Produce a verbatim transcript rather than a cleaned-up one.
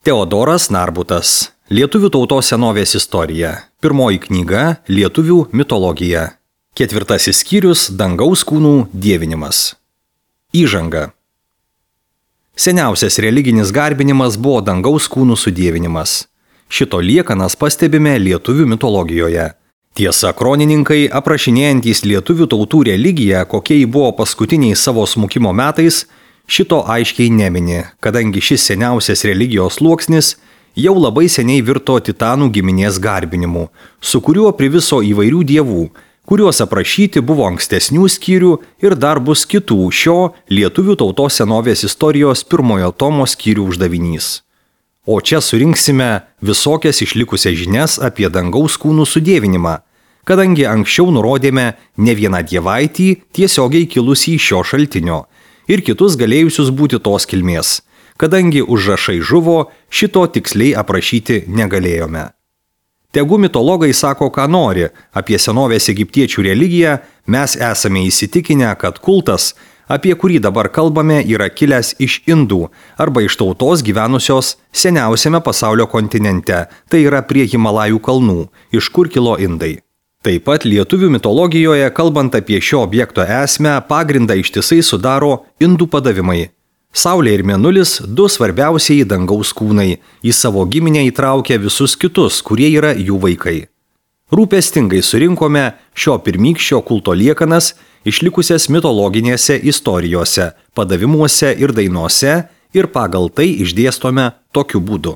Teodoras Narbutas. Lietuvių tautos senovės istorija. Pirmoji knyga – Lietuvių mitologija. Ketvirtasis skyrius – Dangaus kūnų dievinimas. Įžanga. Seniausias religinis garbinimas buvo dangaus kūnų sudievinimas. Šito liekanas pastebime lietuvių mitologijoje. Tiesa, kronininkai, aprašinėjantys lietuvių tautų religiją, kokie ji buvo paskutiniais savo smukimo metais, šito aiškiai nemini, kadangi šis seniausias religijos sluoksnis jau labai seniai virto titanų giminės garbinimu, su kuriuo priviso įvairių dievų, kuriuos aprašyti buvo ankstesnių skyrių ir dar bus kitų šio lietuvių tautos senovės istorijos pirmojo tomo skyrių uždavinys. O čia surinksime visokias išlikusias žinias apie dangaus kūnų sudievinimą, kadangi anksčiau nurodėme ne vieną dievaitį tiesiogiai kilusį iš šio šaltinio ir kitus galėjusius būti tos kilmės, kadangi užrašai žuvo, šito tiksliai aprašyti negalėjome. Tegu mitologai sako, ką nori, apie senovės egiptiečių religiją mes esame įsitikinę, kad kultas, apie kurį dabar kalbame, yra kilęs iš Indų arba iš tautos gyvenusios seniausiame pasaulio kontinente, tai yra prie Himalajų kalnų, iš kur kilo Indai. Taip pat lietuvių mitologijoje, kalbant apie šio objekto esmę, pagrindą ištisai sudaro Indų padavimai. Saulė ir Mėnulis, du svarbiausiai dangaus kūnai, į savo giminę įtraukia visus kitus, kurie yra jų vaikai. Rūpestingai surinkome šio pirmykščio kulto liekanas, išlikusias mitologinėse istorijose, padavimuose ir dainuose ir pagal tai išdėstome tokiu būdu.